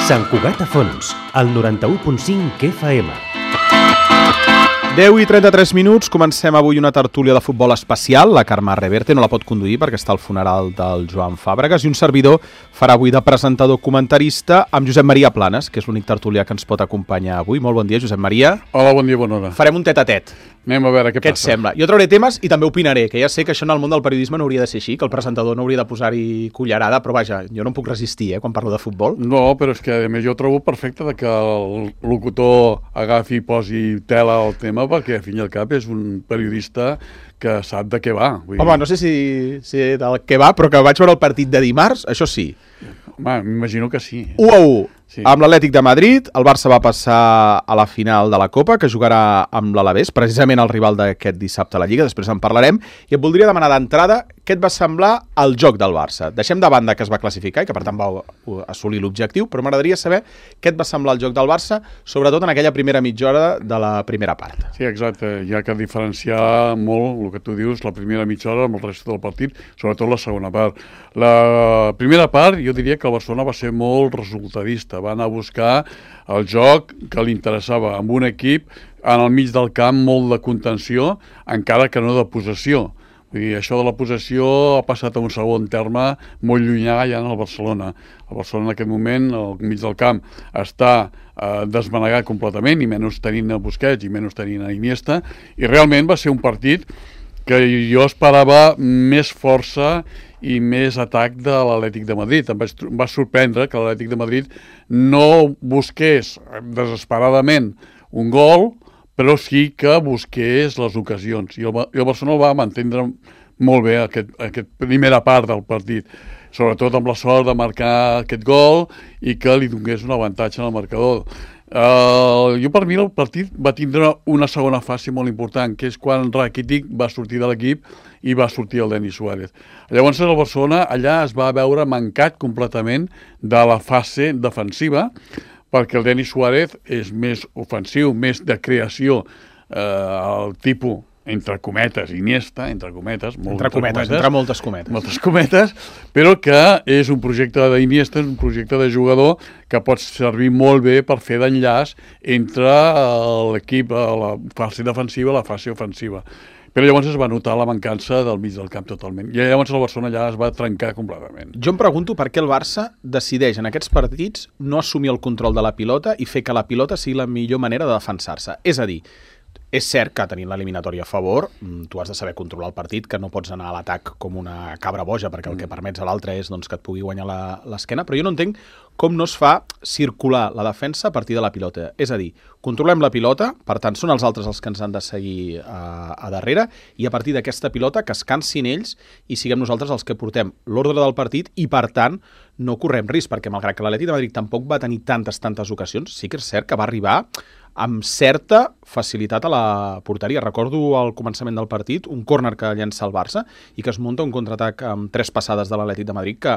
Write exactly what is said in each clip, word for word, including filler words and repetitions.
Sant Cugat a Fons, al noranta-u punt cinc F M. deu i trenta-tres minuts, comencem avui una tertúlia de futbol especial. La Carme Reverte no la pot conduir perquè està al funeral del Joan Fàbregas i un servidor farà avui de presentador comentarista amb Josep Maria Planes, que és l'únic tertulià que ens pot acompanyar avui. Molt bon dia, Josep Maria. Hola, bon dia, bona hora. Farem un tet-a-tet. Anem a veure què, què passa. Què et sembla? Jo trauré temes i també opinaré, que ja sé que això en el món del periodisme no hauria de ser així, que el presentador no hauria de posar-hi cullerada, però vaja, jo no em puc resistir eh, quan parlo de futbol. No, però és que a més jo trobo perfecte de que el locutor agafi i posi tela al tema, perquè al fin i al cap és un periodista que sap de què va. Vull Home, no sé si, si del què va, però que vaig veure el partit de dimarts, això sí. Home, m'imagino que sí. u a u. Sí. Amb l'Atlètic de Madrid, el Barça va passar a la final de la Copa, que jugarà amb l'Alavés, precisament el rival d'aquest dissabte a la Lliga, després en parlarem, i et voldria demanar d'entrada què et va semblar el joc del Barça. Deixem de banda que es va classificar i que per tant va assolir l'objectiu, però m'agradaria saber què et va semblar el joc del Barça, sobretot en aquella primera mitja hora de la primera part. Sí, exacte. Hi ha que diferenciar molt el que tu dius, la primera mitja hora amb el resta del partit, sobretot la segona part. La primera part, jo diria que el Barcelona va ser molt resultadista, va anar a buscar el joc que li interessava amb un equip en el mig del camp molt de contenció, encara que no de possessió. Vull dir, això de la possessió ha passat a un segon terme molt llunyà ja en el Barcelona. El Barcelona en aquest moment, al mig del camp, està eh, desmanegat completament, i menys tenint a Busquets i menys tenint a Iniesta, i realment va ser un partit que jo esperava més força i més atac de l'Atlètic de Madrid. Em va sorprendre que l'Atlètic de Madrid no busqués desesperadament un gol, però sí que busqués les ocasions. I el, i el Barcelona va mantindre molt bé aquest, aquest primera part del partit, sobretot amb la sort de marcar aquest gol i que li donés un avantatge en el marcador. Uh, jo per mi el partit va tindre una segona fase molt important, que és quan Rakitic va sortir de l'equip i va sortir el Denis Suárez. Llavors el Barcelona allà es va veure mancat completament de la fase defensiva, perquè el Denis Suárez és més ofensiu, més de creació, eh, el tipus, entre cometes, Iniesta, entre cometes, molt entre, cometes, entre moltes cometes. Moltes cometes, però que és un projecte d'Iniesta, és un projecte de jugador que pot servir molt bé per fer d'enllaç entre l'equip, la fase defensiva i la fase ofensiva. Però llavors es va notar la mancança del mig del camp totalment. I llavors el Barcelona ja es va trencar completament. Jo em pregunto per què el Barça decideix en aquests partits no assumir el control de la pilota i fer que la pilota sigui la millor manera de defensar-se. És a dir, és cert que tenint l'eliminatòria a favor, tu has de saber controlar el partit, que no pots anar a l'atac com una cabra boja, perquè el que permets a l'altre és doncs, que et pugui guanyar l'esquena, però jo no entenc com no es fa circular la defensa a partir de la pilota. És a dir, controlem la pilota, per tant són els altres els que ens han de seguir a, a darrere, i a partir d'aquesta pilota que es cansin ells i siguem nosaltres els que portem l'ordre del partit i per tant no correm risc, perquè malgrat que l'Atlètic de Madrid tampoc va tenir tantes, tantes ocasions, sí que és cert que va arribar amb certa facilitat a la porteria. Recordo al començament del partit un córner que llença el Barça i que es munta un contraatac amb tres passades de l'Atlètic de Madrid, que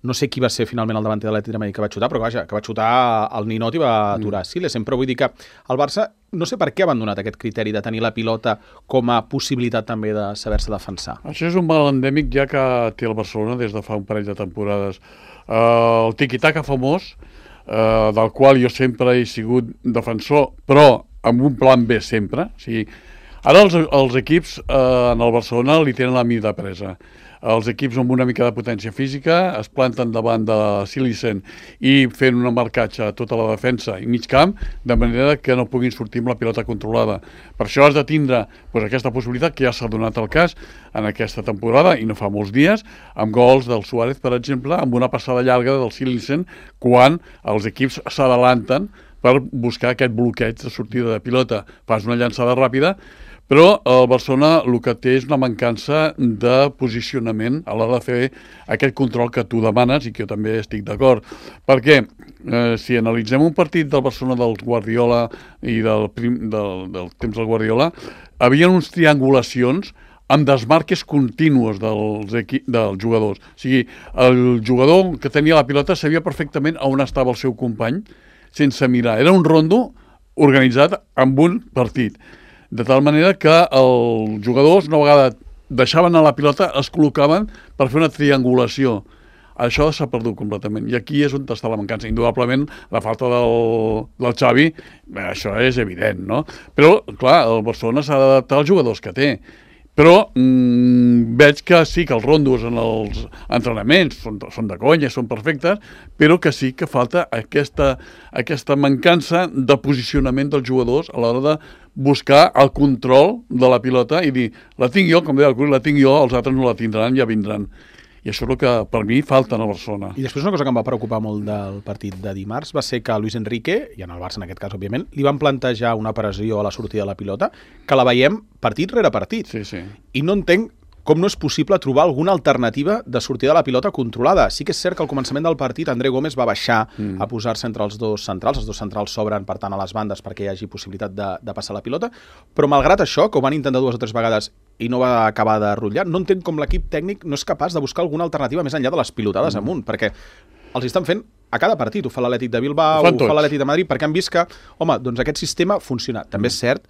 no sé qui va ser finalment el davanter de l'Atlètic de Madrid que va xutar, però vaja, que va xutar el ninot i va aturar. Sí, sempre vull dir que el Barça, no sé per què ha abandonat aquest criteri de tenir la pilota com a possibilitat també de saber-se defensar. Això és un mal endèmic ja que té el Barcelona des de fa un parell de temporades. Uh, el tiki-taka famós, Uh, del qual jo sempre he sigut defensor, però amb un plan B sempre. O sigui, ara els, els equips uh, en el Barcelona li tenen la mida presa. Els equips amb una mica de potència física es planten davant de Silicen i fent un marcatge a tota la defensa i mig camp, de manera que no puguin sortir amb la pilota controlada. Per això has de tindre doncs, aquesta possibilitat, que ja s'ha donat el cas en aquesta temporada, i no fa molts dies, amb gols del Suárez, per exemple, amb una passada llarga del Silicen, quan els equips s'adalanten per buscar aquest bloqueig de sortida de pilota. Fas una llançada ràpida, però el Barcelona el que té és una mancança de posicionament a l'hora de fer aquest control que tu demanes i que jo també estic d'acord. Perquè eh, si analitzem un partit del Barcelona del Guardiola i del, prim, del, del temps del Guardiola, havia uns triangulacions amb desmarques contínues dels, dels jugadors. O sigui, el jugador que tenia la pilota sabia perfectament on estava el seu company sense mirar. Era un rondo organitzat amb un partit. De tal manera que els jugadors una vegada deixaven a la pilota, es col·locaven per fer una triangulació això s'ha perdut completament. I aquí és on està la mancança. Indudablement, la falta del, del Xavi, bé, això és evident, no? Però, clar, el Barcelona s'ha d'adaptar als jugadors que té. Però mmm, veig que sí que els rondos en els entrenaments són, són de conya, són perfectes, però que sí que falta aquesta, aquesta mancança de posicionament dels jugadors a l'hora de buscar el control de la pilota i dir, la tinc jo, com deia el Cruyff, la tinc jo, els altres no la tindran, ja vindran. I això és el que, per mi, falta a Barcelona. I després una cosa que em va preocupar molt del partit de dimarts va ser que Luis Enrique, i en el Barça en aquest cas, òbviament, li van plantejar una pressió a la sortida de la pilota que la veiem partit rere partit. Sí, sí. I no entenc com no és possible trobar alguna alternativa de sortida de la pilota controlada. Sí que és cert que al començament del partit André Gómez va baixar mm. a posar-se entre els dos centrals, els dos centrals s'obren per tant a les bandes perquè hi hagi possibilitat de, de passar la pilota, però malgrat això, que ho van intentar dues o tres vegades i no va acabar de rotllar, no entenc com l'equip tècnic no és capaç de buscar alguna alternativa més enllà de les pilotades mm. amunt, perquè els estan fent a cada partit, ho fa l'Atlètic de Bilbao, ho, ho fa l'Atlètic de Madrid, perquè han vist que, home, doncs aquest sistema funciona. També és cert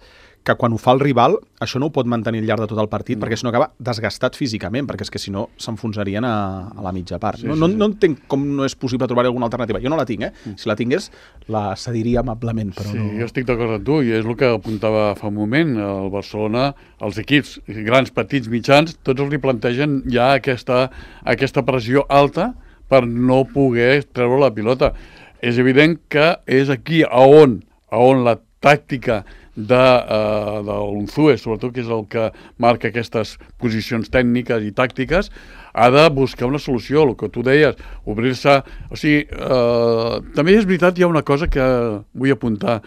que quan ho fa el rival, això no ho pot mantenir al llarg de tot el partit, mm. perquè si no acaba desgastat físicament, perquè és que si no s'enfonsarien a, a la mitja part. Sí, no, no, sí, sí. no entenc com no és possible trobar alguna alternativa. Jo no la tinc, eh? Mm. Si la tingués, la cediria amablement, però sí, no... jo estic d'acord amb tu, i és el que apuntava fa un moment. El Barcelona, els equips, grans, petits, mitjans, tots els li plantegen ja aquesta, aquesta pressió alta per no poder treure la pilota. És evident que és aquí a on, a on la tàctica de, uh, de l'Unzue, sobretot, que és el que marca aquestes posicions tècniques i tàctiques, ha de buscar una solució, el que tu deies, obrir-se... O sigui, uh, també és veritat, hi ha una cosa que vull apuntar.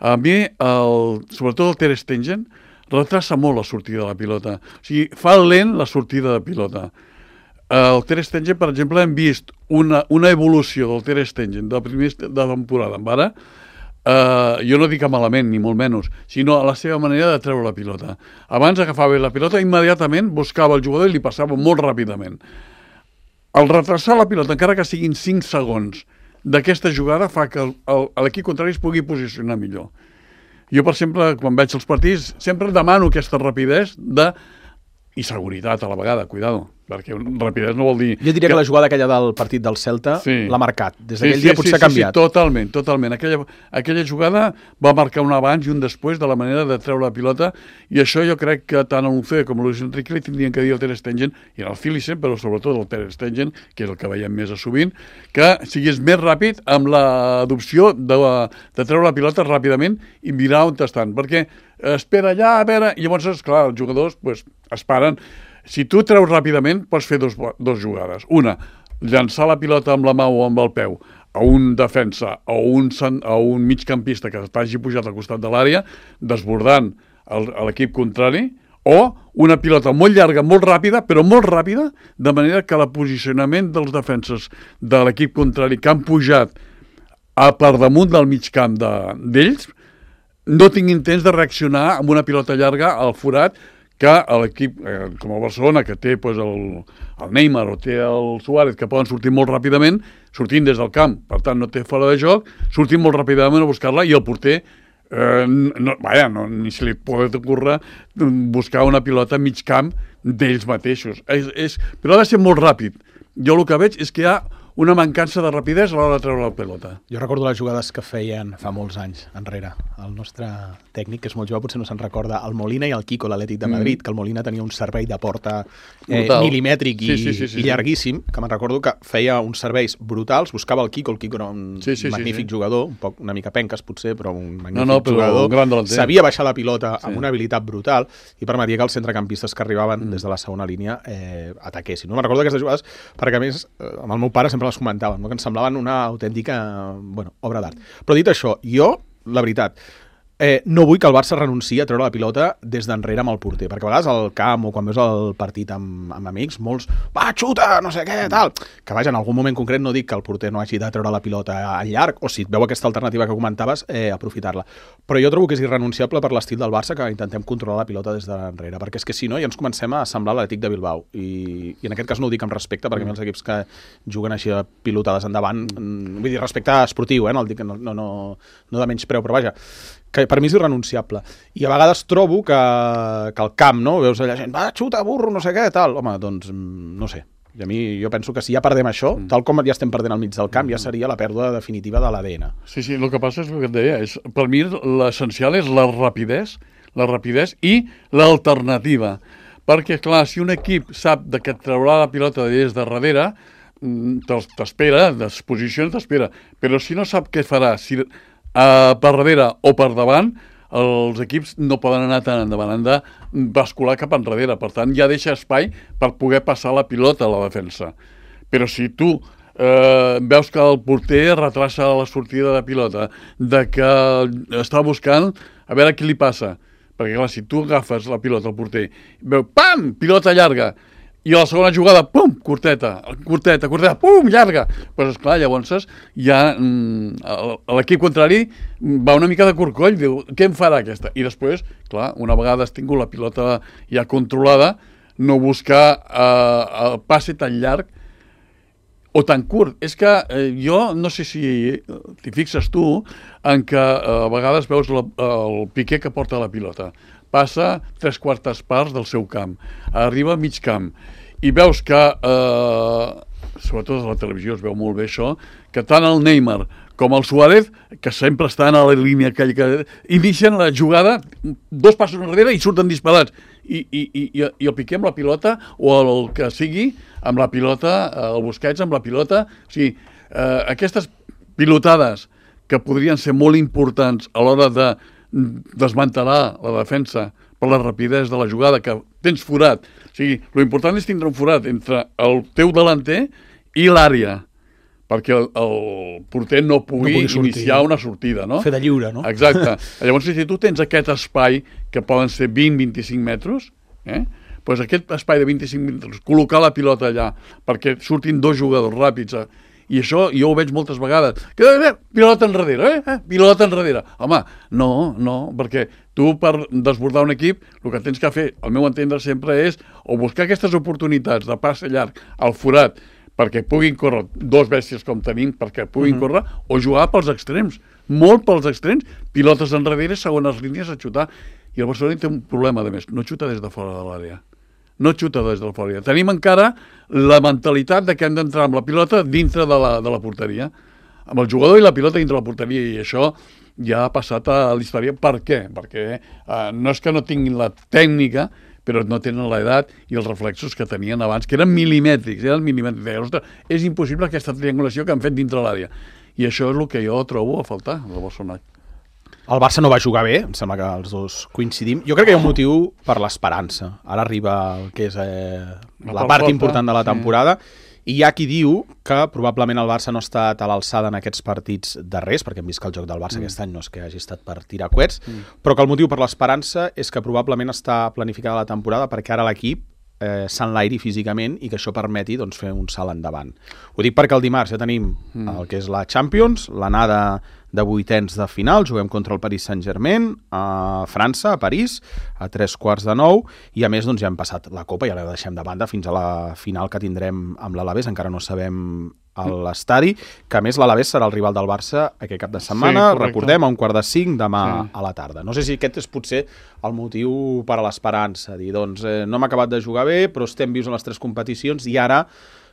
A mi, el, sobretot el Ter Stegen, retrasa molt la sortida de la pilota. O sigui, fa lent la sortida de pilota. El Ter Stegen, per exemple, hem vist una, una evolució del Ter Stegen de la primera de temporada amb ara. Uh, jo no dic malament, ni molt menys, sinó a la seva manera de treure la pilota. Abans agafava la pilota, immediatament buscava el jugador i li passava molt ràpidament. El retrasar la pilota, encara que siguin cinc segons d'aquesta jugada, fa que l'equip contrari es pugui posicionar millor. Jo, per exemple, quan veig els partits, sempre demano aquesta rapidesa de... i seguretat a la vegada, cuidado, perquè rapidesa no vol dir... Jo diria que, que la jugada aquella del partit del Celta sí. l'ha marcat. Des d'aquell sí, sí, dia potser sí, ha canviat. Sí, sí, totalment, totalment. Aquella, aquella jugada va marcar un abans i un després de la manera de treure la pilota, i això jo crec que tant a l'Unzue com a Luis Enrique li tindrien que dir al Ter Stegen, i al Cilice, però sobretot al Ter Stegen, que és el que veiem més a sovint, que sigués més ràpid amb l'adopció de, de treure la pilota ràpidament i mirar on estan, perquè espera allà, a veure, i llavors, esclar, els jugadors pues, es paren. Si tu treus ràpidament, pots fer dos, dos jugades. Una, llançar la pilota amb la mà o amb el peu a un defensa o un, a un migcampista que t'hagi pujat al costat de l'àrea, desbordant l'equip contrari, o una pilota molt llarga, molt ràpida, però molt ràpida, de manera que el posicionament dels defenses de l'equip contrari que han pujat a per damunt del mig camp d'ells, de, no tinguin temps de reaccionar amb una pilota llarga al forat que l'equip, eh, com el Barcelona, que té pues, el, el Neymar o té el Suárez, que poden sortir molt ràpidament, sortint des del camp, per tant no té fora de joc, sortint molt ràpidament a buscar-la, i el porter, eh, no, vaja, no, ni se li pot ocórrer buscar una pilota a mig camp d'ells mateixos. És, és, però ha de ser molt ràpid. Jo el que veig és que hi ha una mancança de rapidesa a l'hora de treure la pelota. Jo recordo les jugades que feien fa molts anys enrere. El nostre tècnic, que és molt jove, potser no se'n recorda, el Molina i el Quico, l'Atlètic de Madrid, mm. que el Molina tenia un servei de porta eh, milimètric i, sí, sí, sí, sí, i llarguíssim, que me'n recordo que feia uns serveis brutals, buscava el Quico, el Quico era un sí, sí, magnífic sí, sí. jugador, un poc una mica penques potser, però un magnífic no, no, però jugador, un gran delanter. Sabia baixar la pilota sí. amb una habilitat brutal i permetia que els centrecampistes que arribaven mm. des de la segona línia eh, ataquessin. No me'n recordo aquestes jugades perquè, a més, eh, amb el meu pare sempre les comentaven, no? Que ens semblaven una autèntica bueno, obra d'art. Però dit això, jo, la veritat, eh, no vull que el Barça renunciï a treure la pilota des d'enrere amb el porter, perquè a vegades al camp o quan veus el partit amb, amb amics, molts, va, xuta, no sé què, tal, que vaja, en algun moment concret no dic que el porter no hagi de treure la pilota al llarg, o si et veu aquesta alternativa que comentaves, eh, aprofitar-la. Però jo trobo que és irrenunciable per l'estil del Barça que intentem controlar la pilota des d'enrere, perquè és que si no ja ens comencem a semblar l'Atlètic de Bilbao, i, i en aquest cas no ho dic amb respecte, perquè mm. els equips que juguen així a pilotades endavant, vull dir, respecte esportiu, eh, no, el dic, no, no, no, no de menys preu, però vaja, que per mi és irrenunciable. I a vegades trobo que, que al camp, no? Veus allà gent, va, xuta, burro, no sé què, tal. Home, doncs, no sé. I a mi, jo penso que si ja perdem això, mm. tal com ja estem perdent al mig del camp, mm. ja seria la pèrdua definitiva de l'A D N. Sí, sí, el que passa és el que et deia. És, per mi l'essencial és la rapidesa, la rapidesa i l'alternativa. Perquè, clar, si un equip sap que et traurà la pilota des de darrere, t'espera, es posiciona, t'espera. Però si no sap què farà, si uh, per darrere o per davant, els equips no poden anar tan endavant, han de bascular cap enrere. Per tant, ja deixa espai per poder passar la pilota a la defensa. Però si tu eh, veus que el porter retrasa la sortida de pilota, de que està buscant a veure qui li passa, perquè clar, si tu agafes la pilota al porter, veu, pam, pilota llarga, i a la segona jugada, pum, curteta, curteta, curteta, pum, llarga. Doncs pues, esclar, llavors ja mm, l'equip contrari va una mica de corcoll, diu, què em farà aquesta? I després, clar, una vegada has tingut la pilota ja controlada, no buscar eh, el passe tan llarg o tan curt. És que eh, jo no sé si t'hi fixes tu en que eh, a vegades veus la, el Piqué que porta la pilota. Passa tres quartes parts del seu camp, arriba a mig camp, i veus que, eh, sobretot a la televisió es veu molt bé això, que tant el Neymar com el Suárez, que sempre estan a la línia aquella que inicien la jugada, dos passos enrere i surten disparats. I, i, i, i el Piqué amb la pilota, o el que sigui, amb la pilota, el Busquets amb la pilota. O sigui, eh, aquestes pilotades que podrien ser molt importants a l'hora de desmantelar la defensa per la rapidesa de la jugada, que tens forat. O sigui, l'important és tindre un forat entre el teu delanter i l'àrea, perquè el, el porter no pugui, no pugui iniciar una sortida, no? Fer de lliure, no? Exacte. Llavors, si tu tens aquest espai, que poden ser vint a vint-i-cinc metres, eh? Pues aquest espai de vint-i-cinc metres, col·locar la pilota allà, perquè surtin dos jugadors ràpids, eh? I això jo ho veig moltes vegades. Que, eh, pilota enrere, eh? Pilota enrere. Home, no, no, perquè tu per desbordar un equip el que tens que fer, al meu entendre sempre, és o buscar aquestes oportunitats de passe llarg al forat perquè puguin córrer dos bèsties com tenim, perquè puguin uh-huh. córrer, o jugar pels extrems, molt pels extrems, pilotes enrere, segones línies a xutar. I el Barcelona té un problema, a més, no xuta des de fora de l'àrea. No xuta des de fora. Tenim encara la mentalitat de que hem d'entrar amb la pilota dintre de la, de la porteria, amb el jugador i la pilota dintre de la porteria, i això ja ha passat a la història. Per què? Perquè eh, no és que no tinguin la tècnica, però no tenen l'edat i els reflexos que tenien abans, que eren milimètrics, eren milimètrics. Ostres, és impossible aquesta triangulació que han fet dintre l'àrea. I això és el que jo trobo a faltar, del Barcelona. El Barça no va jugar bé, em sembla que els dos coincidim. Jo crec que hi ha un motiu per l'esperança. Ara arriba el que és eh, la part important de la temporada, sí. I hi ha qui diu que probablement el Barça no ha estat a l'alçada en aquests partits darrers, perquè hem vist que el joc del Barça mm. aquest any no és que hagi estat per tirar coets, mm. però que el motiu per l'esperança és que probablement està planificada la temporada perquè ara l'equip eh, s'enlairi físicament i que això permeti doncs, fer un salt endavant. Ho dic perquè el dimarts ja tenim mm. el que és la Champions, l'anada de vuitens de final, juguem contra el Paris Saint-Germain a França, a París, a tres quarts de nou, i a més doncs, ja hem passat la Copa, ja la deixem de banda fins a la final que tindrem amb l'Alavés, encara no sabem a l'estadi, que a més l'Alavés serà el rival del Barça aquest cap de setmana, sí, recordem, a un quart de cinc demà sí. a la tarda. No sé si aquest és potser el motiu per a l'esperança, dir, doncs eh, no hem acabat de jugar bé, però estem vius en les tres competicions i ara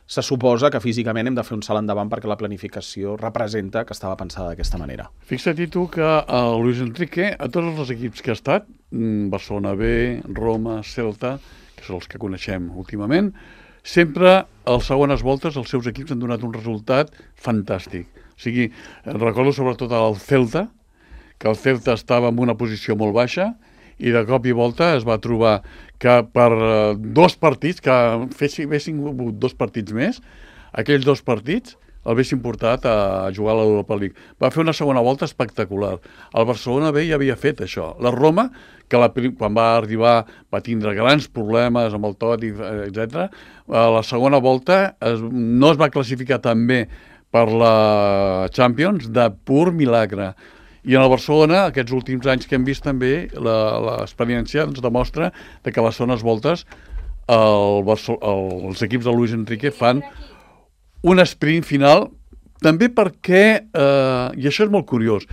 se suposa que físicament hem de fer un salt endavant perquè la planificació representa que estava pensada d'aquesta manera. Fixa't tu que el Luis Enrique, a tots els equips que ha estat, Barcelona B, Roma, Celta, que són els que coneixem últimament, sempre a les segones voltes els seus equips han donat un resultat fantàstic. O sigui, recordo sobretot el Celta, que el Celta estava en una posició molt baixa, i de cop i volta es va trobar que per dos partits, que fessin dos partits més, aquells dos partits el haguessin portat a jugar a l'Europa League. Va fer una segona volta espectacular. El Barcelona B ja havia fet això. La Roma, que la, quan va arribar va tindre grans problemes amb el Totti, etcètera, a la segona volta es, no es va classificar tan bé per la Champions de pur milagre. I en el Barcelona, aquests últims anys que hem vist també, l'experiència ens demostra que a les segones voltes el el, els equips de Luis Enrique fan un sprint final, també perquè, eh, i això és molt curiós,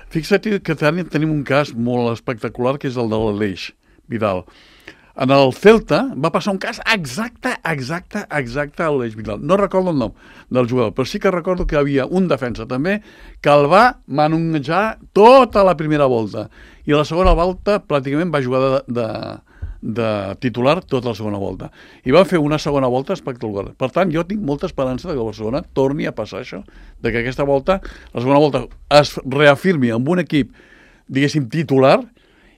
fixa't que tenim un cas molt espectacular, que és el de l'Aleix Vidal. En el Celta va passar un cas exacte, exacte, exacte a l'Eix Vidal. No recordo el nom del jugador, però sí que recordo que hi havia un defensa també que el va manunejar tota la primera volta. I a la segona volta pràcticament va jugar de, de, de titular tota la segona volta. I va fer una segona volta espectacular. Per tant, jo tinc molta esperança de que el Barcelona torni a passar això, de que aquesta volta, la segona volta, es reafirmi amb un equip, diguéssim, titular,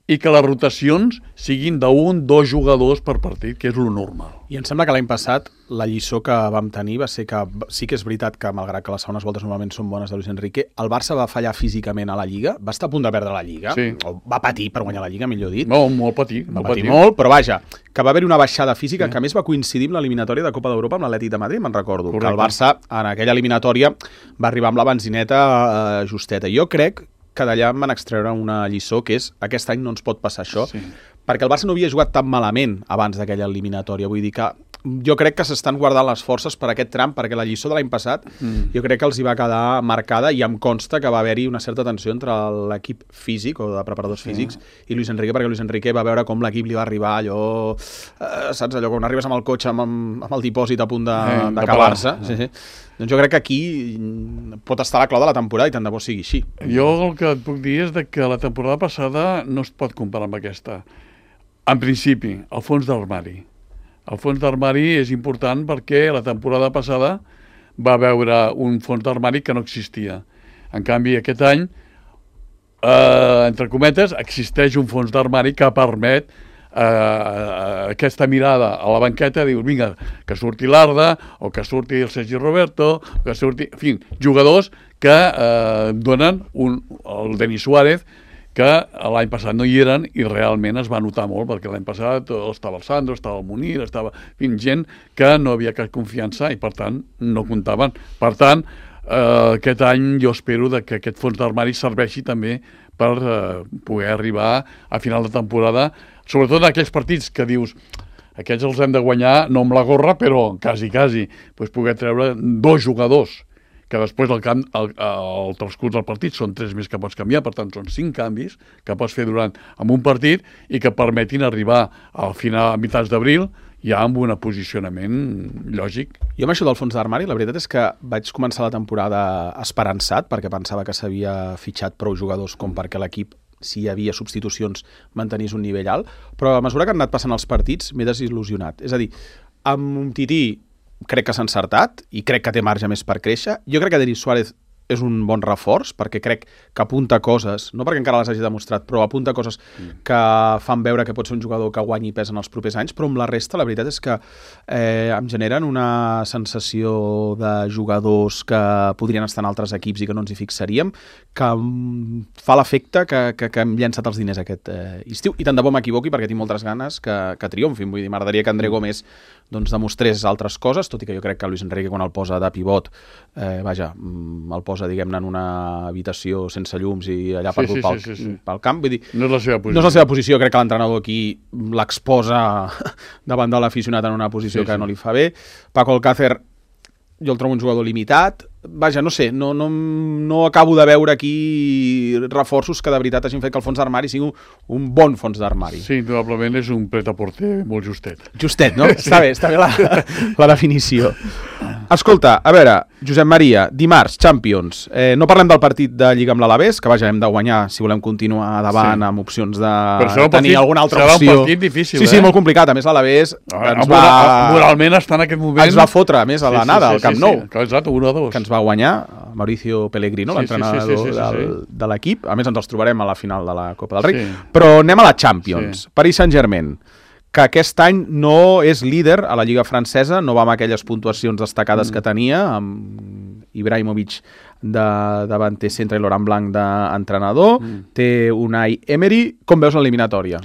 i que les rotacions siguin d'un, dos jugadors per partit, que és lo normal. I em sembla que l'any passat la lliçó que vam tenir va ser que sí que és veritat que, malgrat que les segones voltes normalment són bones de Luis Enrique, el Barça va fallar físicament a la Lliga, va estar a punt de perdre la Lliga, sí. o va patir per guanyar la Lliga, millor dit. No, molt patir. Va molt patir patir molt, però vaja, que va haver-hi una baixada física, sí. que a més va coincidir amb l'eliminatòria de Copa d'Europa amb l'Atlètic de Madrid, me'n recordo. Correcte. Que el Barça, en aquella eliminatòria, va arribar amb la benzineta eh, justeta. Jo crec que d'allà em van extreure una lliçó, que és aquest any no ens pot passar això, sí. perquè el Barça no havia jugat tan malament abans d'aquella eliminatòria. Vull dir que jo crec que s'estan guardant les forces per aquest tram, perquè la lliçó de l'any passat mm. jo crec que els hi va quedar marcada i em consta que va haver-hi una certa tensió entre l'equip físic o de preparadors sí. físics i Luis Enrique, perquè Luis Enrique va veure com l'equip li va arribar allò, eh, saps, allò quan arribes amb el cotxe amb, amb el dipòsit a punt d'acabar-se. Eh, sí, sí. Doncs jo crec que aquí pot estar la clau de la temporada i tant de bo sigui així. Jo el que et puc dir és de que la temporada passada no es pot comparar amb aquesta. En principi, el fons d'armari. El fons d'armari és important perquè la temporada passada va veure un fons d'armari que no existia. En canvi, aquest any, eh, entre cometes, existeix un fons d'armari que permet Uh, aquesta mirada a la banqueta, dius, vinga, que surti l'Arda, o que surti el Sergi Roberto, que surti, en fi, jugadors que uh, donen un, el Denis Suárez, que l'any passat no hi eren i realment es va notar molt, perquè l'any passat estava el Sandro, estava el Munir, estava, en fi, gent que no havia cap confiança i per tant no comptaven. Per tant, uh, aquest any jo espero de que aquest fons d'armari serveixi també per uh, poder arribar a final de temporada, sobretot en aquells partits que dius aquests els hem de guanyar, no amb la gorra, però quasi, quasi, doncs poder treure dos jugadors, que després el, camp, el, el transcurs del partit són tres més que pots canviar, per tant són cinc canvis que pots fer durant amb un partit i que permetin arribar al final, a mitjans d'abril, ja amb un posicionament lògic. Jo amb això del fons d'armari, la veritat és que vaig començar la temporada esperançat, perquè pensava que s'havia fitxat prou jugadors com perquè l'equip, si hi havia substitucions, mantenís un nivell alt, però a mesura que han anat passant els partits m'he desil·lusionat. És a dir, amb un Tití crec que s'ha encertat i crec que té marge més per créixer. Jo crec que Denis Suárez és un bon reforç, perquè crec que apunta coses, no perquè encara les hagi demostrat, però apunta coses mm. que fan veure que pot ser un jugador que guanyi pes en els propers anys, però amb la resta la veritat és que eh, em generen una sensació de jugadors que podrien estar en altres equips i que no ens hi fixaríem, que fa l'efecte que, que, que hem llançat els diners aquest eh, estiu, i tant de bo m'equivoqui perquè tinc moltes ganes que, que triomfin. Vull dir, m'agradaria que André Gómez doncs, demostrés altres coses, tot i que jo crec que Luis Enrique quan el posa de pivot, eh, vaja, el posa, diguem-ne, en una habitació sense llums i allà sí, perdut sí, pel, sí, sí, sí. pel camp. Vull dir, no és la seva posició. No és la seva posició, crec que l'entrenador aquí l'exposa davant de l'aficionat en una posició sí, que sí. no li fa bé. Paco Alcácer, jo el trobo un jugador limitat. Vaja, no sé, no, no, no acabo de veure aquí reforços que de veritat hagin fet que el fons d'armari sigui un, un bon fons d'armari. Sí, probablement és un pret-a-porter molt justet. Justet, no? Sí. Està bé, està bé la, la definició. Escolta, a veure, Josep Maria, dimarts, Champions. Eh, no parlem del partit de Lliga amb l'Alavés, que vaja, hem de guanyar si volem continuar davant sí. amb opcions de tenir partit, alguna altra serà opció. Serà un partit difícil, sí, sí, eh? molt complicat. A més, l'Alavés ah, ens va... Moralment està en aquest moment... Ens va fotre, a més, a l'anada, sí, sí, sí, al Camp Nou. Sí, sí. Exacte, un a dos. Que ens va guanyar Mauricio Pellegrino, sí, l'entrenador sí, sí, sí, sí, sí, sí. Del, de l'equip. A més, ens els trobarem a la final de la Copa del Rei. Sí. Però anem a la Champions. Sí. Paris Saint-Germain, que aquest any no és líder a la Lliga francesa, no va amb aquelles puntuacions destacades mm. que tenia, amb Ibrahimovic de davanter centre i Laurent Blanc d'entrenador, mm. té Unai Emery. Com veus l'eliminatòria?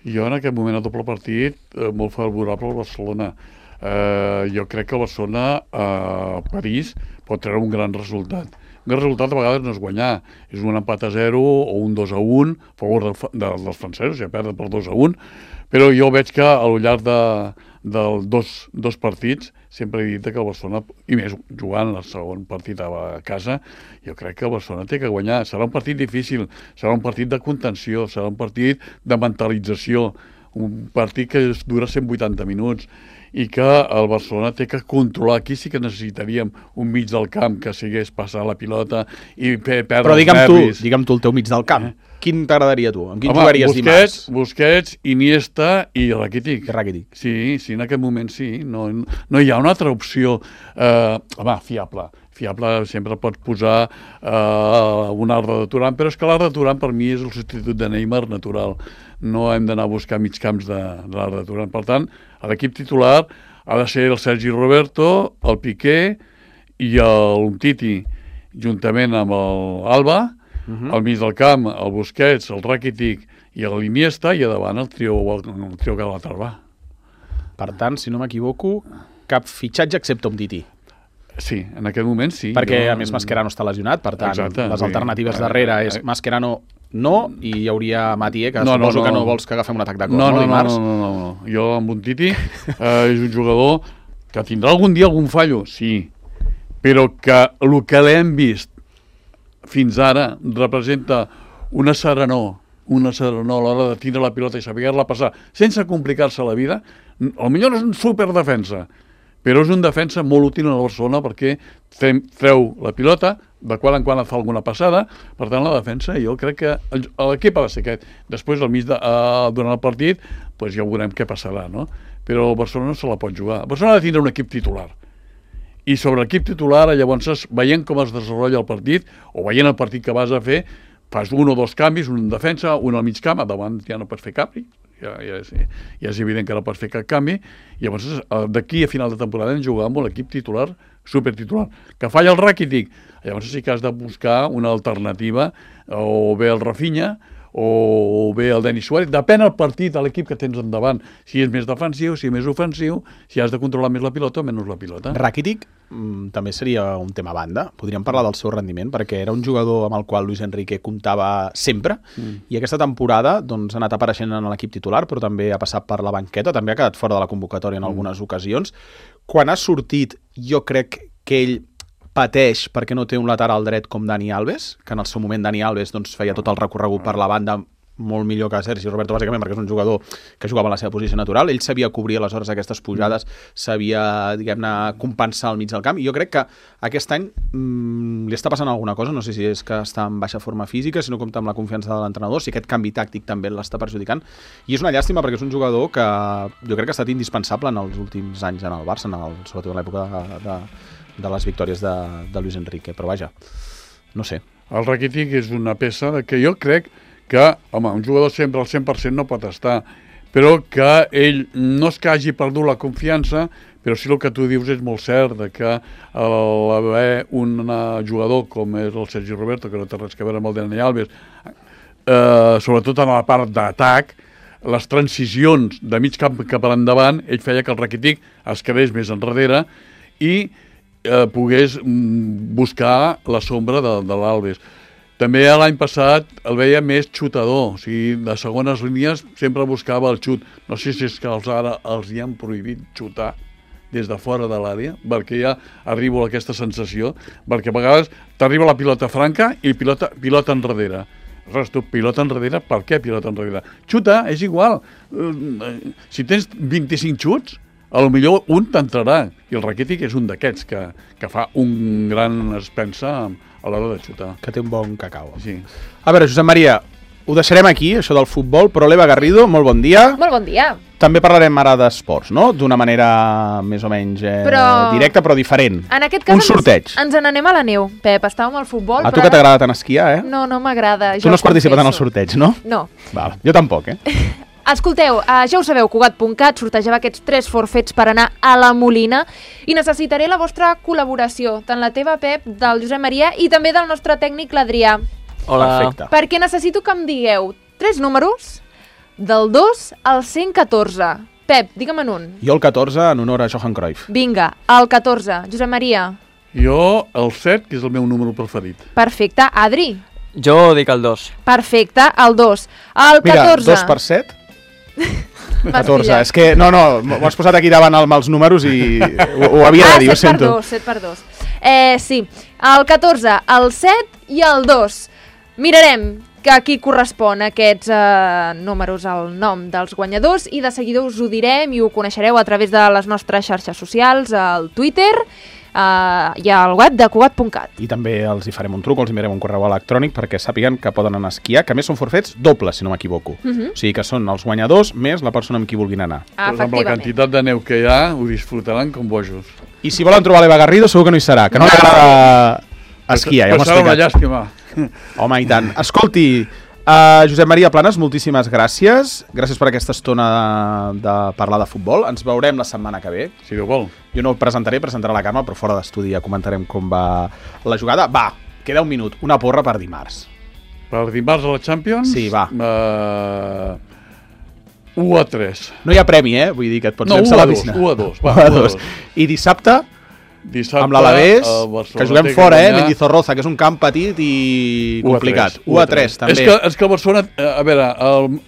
Jo en aquest moment, a doble partit, eh, molt favorable al Barcelona. Eh, jo crec que el Barcelona a París pot treure un gran resultat. Un gran resultat a vegades no és guanyar, és un empat a zero o un dos a un a favor del, de, dels francesos, ja perden per dos a un, però jo veig que al llarg de, de dos, dos partits sempre he dit que el Barcelona, i més jugant el segon partit a casa, jo crec que el Barcelona té que guanyar. Serà un partit difícil, serà un partit de contenció, serà un partit de mentalització, un partit que dura cent vuitanta minuts i que el Barcelona té que controlar. Aquí sí que necessitaríem un mig del camp que sigués passar la pilota i perdre Però digue'm els nervis. tu, digue'm tu el teu mig del camp. Eh? Quin t'agradaria tu? Amb quin Home, jugaries Busquets, dimarts? Busquets, Iniesta i Rakitic. I Rakitic. Sí, sí, en aquest moment sí. No, no hi ha una altra opció. Eh, home, fiable. Fiable sempre pots posar eh, un Arda de Turan, però és que l'Arda de Turan per mi és el substitut de Neymar natural. No hem d'anar a buscar mig camps de, de l'Arda de Turan. Per tant, l'equip titular ha de ser el Sergi Roberto, el Piqué i el Titi, juntament amb l'Alba, uh-huh. al mig del camp, el Busquets, el Rakitic i l'Iniesta, i a davant el trio, el trio Galaterba. Per tant, si no m'equivoco, cap fitxatge excepte un Titi. Sí, en aquest moment sí. Perquè, jo... a més, Mascherano està lesionat, per tant, Exacte, les sí. alternatives darrere és Mascherano no, i hi hauria Matié, que no, suposo no, no. que no vols que agafem un atac de cor, no, no, no, dimarts? No, no, no, no. Jo amb un Titi eh, és un jugador que tindrà algun dia algun fallo, sí, però que el que l'hem vist fins ara representa una serenor, una serenor a l'hora de tindre la pilota i saber-la passar sense complicar-se la vida. Potser és un superdefensa, però és un defensa molt útil a la Barcelona perquè treu la pilota, de quan en quan et fa alguna passada. Per tant, la defensa, jo crec que l'equip ha de ser aquest. Després, al mig de, uh, durant el partit, pues ja veurem què passarà, no? Però el Barcelona no se la pot jugar. El Barcelona ha de tindre un equip titular. I sobre l'equip titular, llavors, veient com es desenvolupa el partit, o veient el partit que vas a fer, fas un o dos canvis, un en defensa, un al mig camp, a davant ja no pots fer canvi, ja, ja, és, ja és evident que no pots fer cap canvi, i llavors d'aquí a final de temporada hem jugat amb l'equip titular, supertitular. Que falla el Rakitic, llavors sí que has de buscar una alternativa, o bé el Rafinha, o bé el Denis Suárez, depèn del partit, de l'equip que tens endavant, si és més defensiu, si és més ofensiu, si has de controlar més la pilota o menys la pilota. Rakitic mm, també seria un tema a banda, podríem parlar del seu rendiment, perquè era un jugador amb el qual Luis Enrique comptava sempre, mm. i aquesta temporada doncs, ha anat apareixent en l'equip titular, però també ha passat per la banqueta, també ha quedat fora de la convocatòria en mm. algunes ocasions. Quan ha sortit, jo crec que ell pateix perquè no té un lateral dret com Dani Alves, que en el seu moment Dani Alves doncs, feia tot el recorregut per la banda molt millor que Sergi Roberto, bàsicament, perquè és un jugador que jugava en la seva posició natural. Ell sabia cobrir aleshores aquestes pujades, sabia, diguem-ne, compensar al mig del camp, i jo crec que aquest any mmm, li està passant alguna cosa, no sé si és que està en baixa forma física, si no compta amb la confiança de l'entrenador, si aquest canvi tàctic també l'està perjudicant, i és una llàstima perquè és un jugador que jo crec que ha estat indispensable en els últims anys en el Barça, en el, sobretot en l'època de, de, de les victòries de, de Luis Enrique, però vaja, no sé. El Rakitic és una peça que jo crec que, home, un jugador sempre al cent per cent no pot estar, però que ell no és que hagi perdut la confiança, però sí el que tu dius és molt cert, de que haver un jugador com és el Sergi Roberto, que no té res a veure amb el Dani Alves, eh, sobretot en la part d'atac, les transicions de mig camp cap a l'endavant, ell feia que el Rakitic es quedés més enrere i eh, pogués buscar la sombra de, de l'Alves. També l'any passat el veia més xutador, o sigui, de segones línies sempre buscava el xut. No sé si és que els ara els hi han prohibit xutar des de fora de l'àrea, perquè ja arribo a aquesta sensació, perquè a vegades t'arriba la pilota franca i pilota, pilota enrere. Aleshores, tu, pilota enrere, per què pilota enrere? Xuta, és igual. Si tens vint-i-cinc xuts, a lo millor un t'entrarà, i el Rakitic és un d'aquests que, que fa un gran expensa a l'hora de xutar. Que té un bon cacau. Sí. A veure, Josep Maria, ho deixarem aquí, això del futbol, però l'Eva Garrido, molt bon dia. Molt bon dia. També parlarem ara d'esports, no? D'una manera més o menys eh, però... directa, però diferent. En aquest cas un sorteig. Ens, ens n'anem a la neu, Pep. Estàvem al futbol, a però... tu que t'agrada tant esquiar, eh? No, no m'agrada. Tu no has participat en el sorteig, no? No. Val. Jo tampoc, eh? Escolteu, uh, ja ho sabeu, Cugat punt cat sortejava aquests tres forfets per anar a la Molina i necessitaré la vostra col·laboració, tant la teva, Pep, del Josep Maria i també del nostre tècnic, l'Adrià. Hola. Perfecte. Perquè necessito que em digueu tres números del dos al cent catorze. Pep, digue'm un. Jo el catorze en honor a Johan Cruyff. Vinga, el catorze. Josep Maria. Jo el set, que és el meu número preferit. Perfecte. Adri. Jo dic el dos. Perfecte, el dos. El catorze. Mira, dos per set. catorze, és que, no, no, m'ho has posat aquí davant amb els números i ho, ho havia de dir, ah, ho sento. Ah, set per dos, set per dos. Eh, sí, el catorze, el set i el dos. Mirarem a qui correspon aquests eh, números al nom dels guanyadors i de seguida us ho direm i ho coneixereu a través de les nostres xarxes socials, al Twitter uh, i al web de Cugat punt cat. I també els hi farem un truc, els enviarem un correu electrònic perquè sàpiguen que poden anar a esquiar, que a més són forfets dobles, si no m'equivoco. Uh -huh. O sigui que són els guanyadors més la persona amb qui vulguin anar. Ah, doncs amb la quantitat de neu que hi ha, ho disfrutaran com bojos. I si volen trobar l'Eva Garrido, segur que no hi serà, que no li agrada esquiar, ja m'ho he serà una explicat. llàstima. Home, i tant. Escolti, uh, Josep Maria Planes, moltíssimes gràcies. Gràcies per aquesta estona de, de parlar de futbol. Ens veurem la setmana que ve. Si Déu vol. Jo no ho presentaré, presentarà la Carme, però fora d'estudi ja comentarem com va la jugada. Va, queda un minut. Una porra per dimarts. Per dimarts a la Champions? Sí, va. Uh, u a tres. No hi ha premi, eh? Vull dir que et pots No, llançar a la u a dos, piscina. u a dos, va, u a u a dos. dos. I dissabte, Dissabte, amb l'Alavés, el Barcelona que juguem té fora, eh? guanyar Mendizorroza, que és un camp petit i complicat. u a tres, també. És que, és que el Barcelona, a veure, el,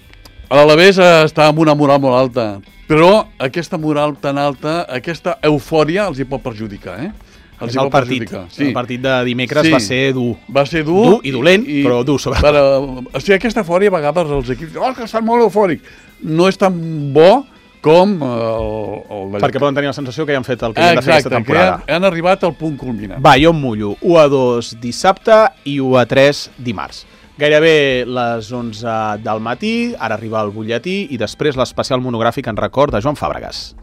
l'Alavés està amb una moral molt alta, però aquesta moral tan alta, aquesta eufòria els hi pot perjudicar, eh? Els hi el pot partit, perjudicar. Sí. el partit de dimecres Sí. va ser dur. Va ser dur, Dur i dolent, però dur, sobretot. Però, o sigui, aquesta eufòria, a vegades els equips diuen oh, que estan molt eufòrics. No és tan bo com el, el Perquè poden tenir la sensació que ja han fet el que han de fer aquesta Exacte, que temporada. han, han arribat al punt culminant. Va, jo em mullo. u a dos dissabte i u a tres dimarts. Gairebé les onze del matí, ara arriba el butlletí i després l'especial monogràfic en record de Joan Fàbregas.